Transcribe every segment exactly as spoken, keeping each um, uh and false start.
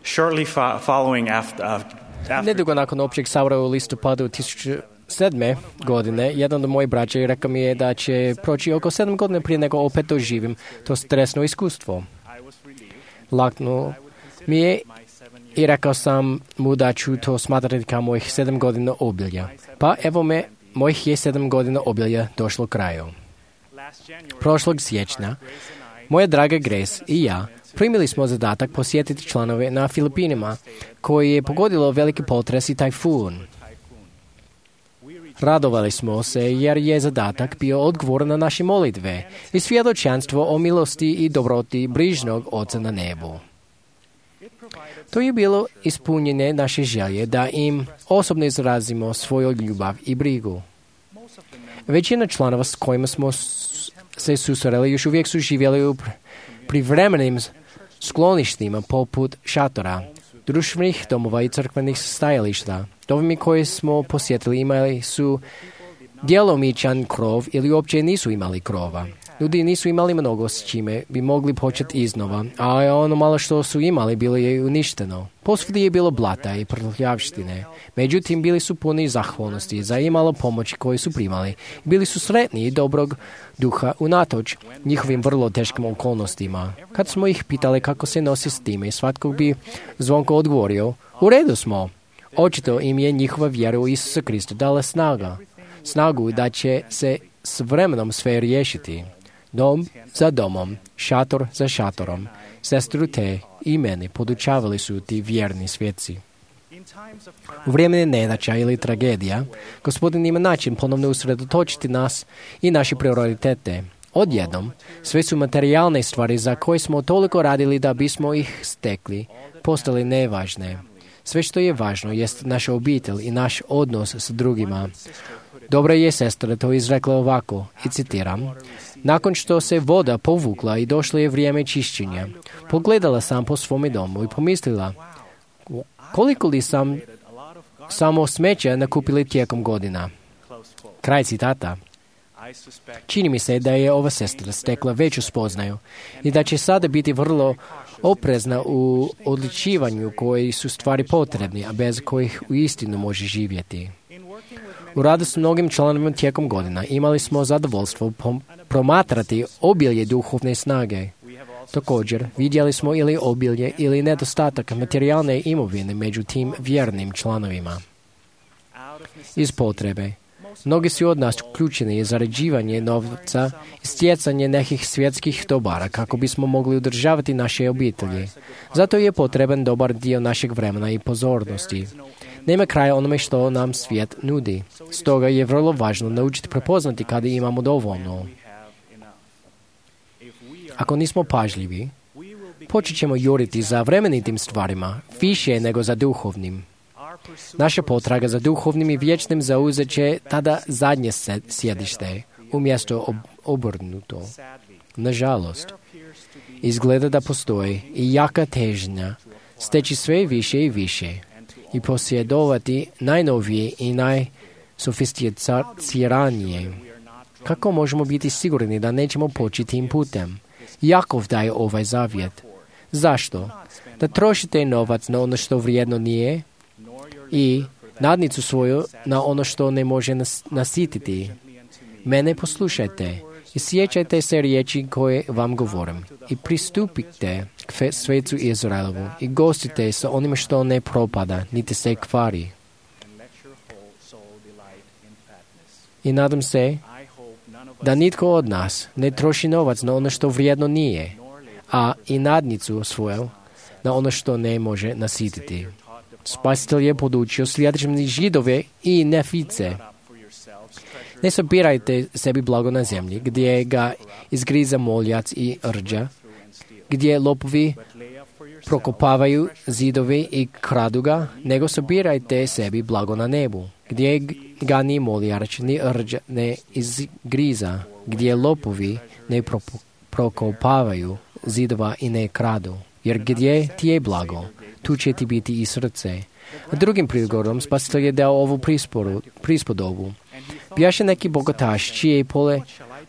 Shortly fo- following after, uh, after Nedugo nakon općeg sabora u listopadu tisuću sedme godine, jedan od mojih braća rekao mi je da će proći oko sedam godina prije nego opet doživim to stresno iskustvo. Laknuo mi je i rekao sam mu da ću to smatrati kao mojih sedam godina obilja. Pa evo me, mojih je sedam godina obilja došlo kraju. Prošlog siječnja, moja draga Grace i ja primili smo zadatak posjetiti članove na Filipinima, koji je pogodilo veliki potres i tajfun. Radovali smo se jer je zadatak bio odgovor na naše molitve i svjedočanstvo o milosti i dobroti brižnog Oca na nebu. To je bilo ispunjenje naše želje da im osobno izrazimo svoju ljubav i brigu. Većina članova s kojima smo se susreli još uvijek su živjeli u privremenim skloništima poput šatora, društvenih domova i crkvenih stajališta. Domovi koje smo posjetili imali su djelomičan krov ili uopće nisu imali krova. Ljudi nisu imali mnogo s čime bi mogli početi iznova, a ono malo što su imali bilo je uništeno. Posvuda je bilo blata i prljavštine. Međutim, bili su puni zahvalnosti za imalo pomoći koju su primali. Bili su sretni i dobrog duha unatoč njihovim vrlo teškim okolnostima. Kad smo ih pitali kako se nosi s time, svatko bi zvonko odgovorio, u redu smo. Očito im je njihova vjera u Isusa Krista dala snaga. Snagu da će se s vremenom sve riješiti. Dom za domom, šator za šatorom, sestru te i mene podučavali su ti vjerni svjetci. U vrijeme nedaća ili tragedija, Gospodin ima način ponovno usredotočiti nas i naše prioritete. Odjednom, sve su materijalne stvari za koje smo toliko radili da bismo ih stekli, postale nevažne. Sve što je važno jest naša obitelj i naš odnos s drugima. Dobra je sestra to izrekla ovako, i citiram, nakon što se voda povukla i došlo je vrijeme čišćenja, pogledala sam po svome domu i pomislila, koliko li sam samo smeća nakupili tijekom godina. Kraj citata. Čini mi se da je ova sestra stekla veću spoznaju i da će sada biti vrlo oprezna u odličivanju koji su stvari potrebni, a bez kojih uistinu može živjeti. U radu s mnogim članovima tijekom godina imali smo zadovoljstvo promatrati obilje duhovne snage. Također, vidjeli smo ili obilje ili nedostatak materijalne imovine među tim vjernim članovima. Iz potrebe, mnogi su od nas uključeni zarađivanje novca i stjecanje nekih svjetskih dobara kako bismo mogli udržavati naše obitelji. Zato je potreban dobar dio našeg vremena i pozornosti. Nema kraja onome što nam svijet nudi. Stoga je vrlo važno naučiti prepoznati kada imamo dovoljno. Ako nismo pažljivi, počet ćemo juriti za vremenitim stvarima, više nego za duhovnim. Naša potraga za duhovnim i vječnim zauzet će tada zadnje sjedište, umjesto ob- obrnuto. Nažalost, izgleda da postoji i jaka težnja steći sve više i više i posjedovati najnovije i najsofisticiranije. Kako možemo biti sigurni da nećemo poći tim putem? Jakov daje ovaj zavjet. Zašto? Da trošite novac na ono što vrijedno nije i nadnicu svoju na ono što ne može nas, nasititi. Mene poslušajte i sjećajte se riječi koje vam govorim i pristupite k svecu Izraelovu i gostite sa onime što ne propada, niti se kvari. I nadam se da nitko od nas ne troši novac na ono što vrijedno nije, a i nadnicu svoju na ono što ne može nasititi. Spasitelj je podučio sljedećim Židove i Nefice. Ne sabirajte sebi blago na zemlji, gdje ga izgriza moljac i rđa, gdje lopovi prokopavaju zidovi i kradu ga, nego sabirajte sebi blago na nebu, gdje ga ni moljač ni rđa ne izgriza, gdje lopovi ne prokopavaju zidova i ne kradu. Jer gdje ti je blago, tu će ti biti i srce. A drugim prigodom Spasitelj je dao ovu prisporu, prispodobu. Bjaše neki bogataš čije pole,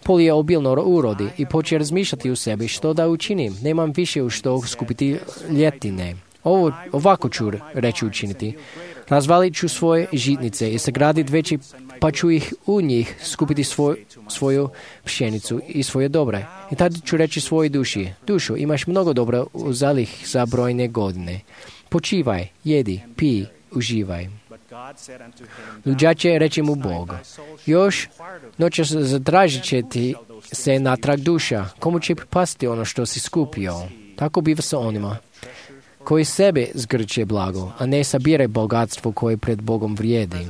polje obilno urodi i počne razmišljati u sebi što da učinim. Nemam više u što skupiti ljetine. Ovo, ovako ću reći učiniti. Razvalit ću svoje žitnice i sagraditi veći, pa ću ih u njih skupiti svoj, svoju pšenicu i svoje dobre. I tada ću reći svojoj duši, dušo, imaš mnogo dobra u zalih za brojne godine. Počivaj, jedi, pij, uživaj. Luđak će reći mu Bog, još noćas zatražit će ti se natrag duša, komu će pripasti ono što si skupio. Tako biva sa onima koji sebe zgrče blago, a ne sabire bogatstvo koje pred Bogom vrijedi.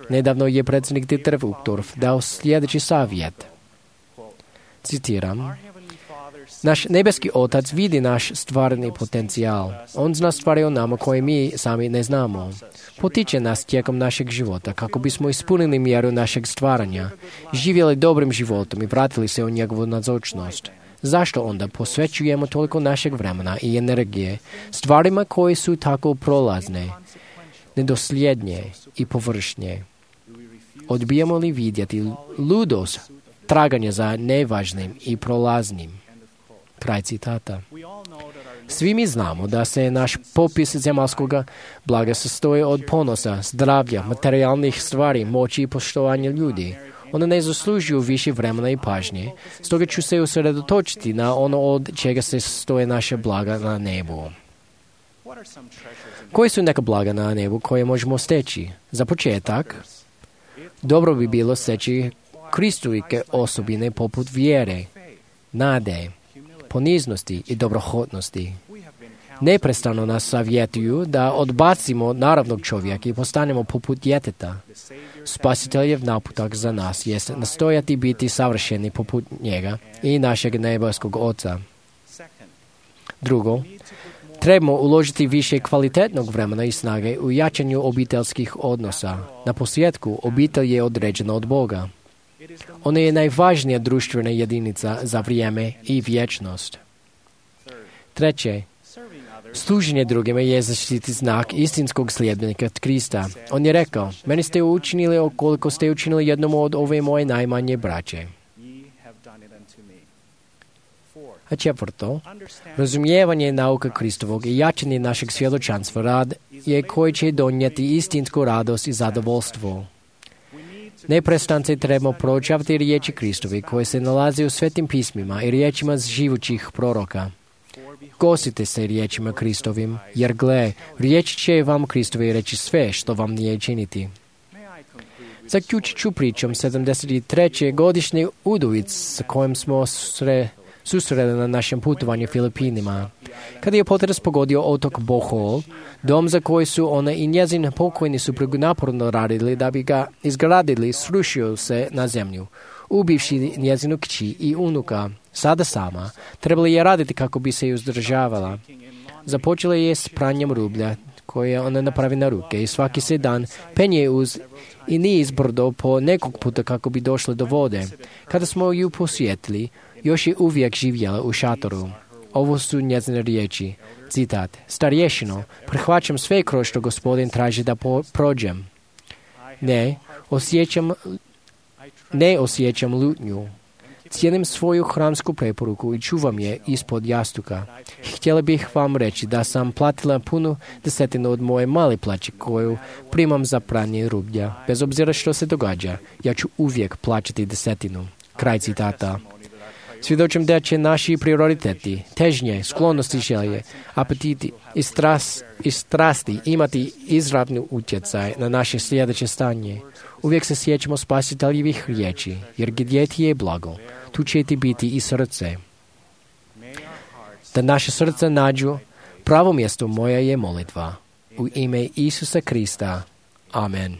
Nedavno je predsjednik Dieter Uchtdorf dao sljedeći savjet. Citiram, naš nebeski Otac vidi naš stvarni potencijal. On zna stvari o nama koje mi sami ne znamo. Potiče nas tijekom našeg života kako bismo ispunili mjeru našeg stvaranja, živjeli dobrim životom i vratili se u njegovu nazočnost. Zašto onda posvećujemo toliko našeg vremena i energije stvarima koje su tako prolazne, nedosljednje i površnje? Odbijamo li vidjeti ludost traganja za nevažnim i prolaznim? Kraj citata. Svi mi znamo da se naš popis zemaljskog blaga sastoji od ponosa, zdravlja, materijalnih stvari, moći i poštovanja ljudi. One ne zaslužuju više vremena i pažnje, stoga ću se usredotočiti na ono od čega se sastoje naše blaga na nebu. Koji su neka blaga na nebu koje možemo steći? Za početak, dobro bi bilo steći Kristovike osobine poput vjere, nade, poniznosti i dobrohotnosti. Neprestano nas savjetuju da odbacimo naravnog čovjeka i postanemo poput djeteta. Spasiteljev naputak za nas jest nastojati biti savršeni poput njega i našeg nebeskog Oca. Drugo, trebamo uložiti više kvalitetnog vremena i snage u jačanju obiteljskih odnosa. Na posljedku, obitelj je određena od Boga. Ona je najvažnija društvena jedinica za vrijeme i vječnost. Treće, služenje drugima je zaštiti znak istinskog sljedbenika Krista. On je rekao, meni ste učinili koliko ste učinili jednom od ove moje najmanje braće. A četvrto, razumijevanje nauka Kristovog i jačanje našeg svjedočanstva rad je koji će donijeti istinsku radost i zadovoljstvo. Neprestance trebamo proučavati riječi Kristovi koje se nalaze u svetim pismima i riječima živućih proroka. Kosite se riječima Kristovim, jer gle, riječi će vam Kristovi reći sve što vam nije činiti. Zaključit ću pričom sedamdeset treće godišnje udovic s kojim smo sre, susreli na našem putovanju Filipinima. Kada je potres pogodio otok Bohol, dom za koji su ona i njezin pokojni suprug naporno radili da bi ga izgradili, srušio se na zemlju. Ubivši njezinu kći i unuka, sada sama, trebali je raditi kako bi se uzdržavala. Započela je s pranjem rublja koje ona napravi na ruke i svaki se dan penje uz i niz brdo po nekog puta kako bi došla do vode. Kada smo ju posjetili, još je uvijek živjela u šatoru. Ovo su njezine riječi. Citat. Starješino, prihvaćam sve kroz što gospodin traži da po- prođem. Ne, osjećam, ne osjećam lutnju. Cijenim svoju hramsku preporuku i čuvam je ispod jastuka. Htjela bih vam reći da sam platila punu desetinu od moje male plaće koju primam za pranje rublja. Bez obzira što se događa, ja ću uvijek plaćati desetinu. Kraj citata. Svjedočim da će naši prioriteti, težnje, sklonosti želje, apetiti i, stras, i strasti imati izravni utjecaj na naše sljedeće stanje. Uvijek se sjećamo spasiteljevih riječi, jer gdje ti je blago, tu će ti biti i srce. Da naše srce nađu pravo mjesto moja je molitva. U ime Isusa Krista. Amen.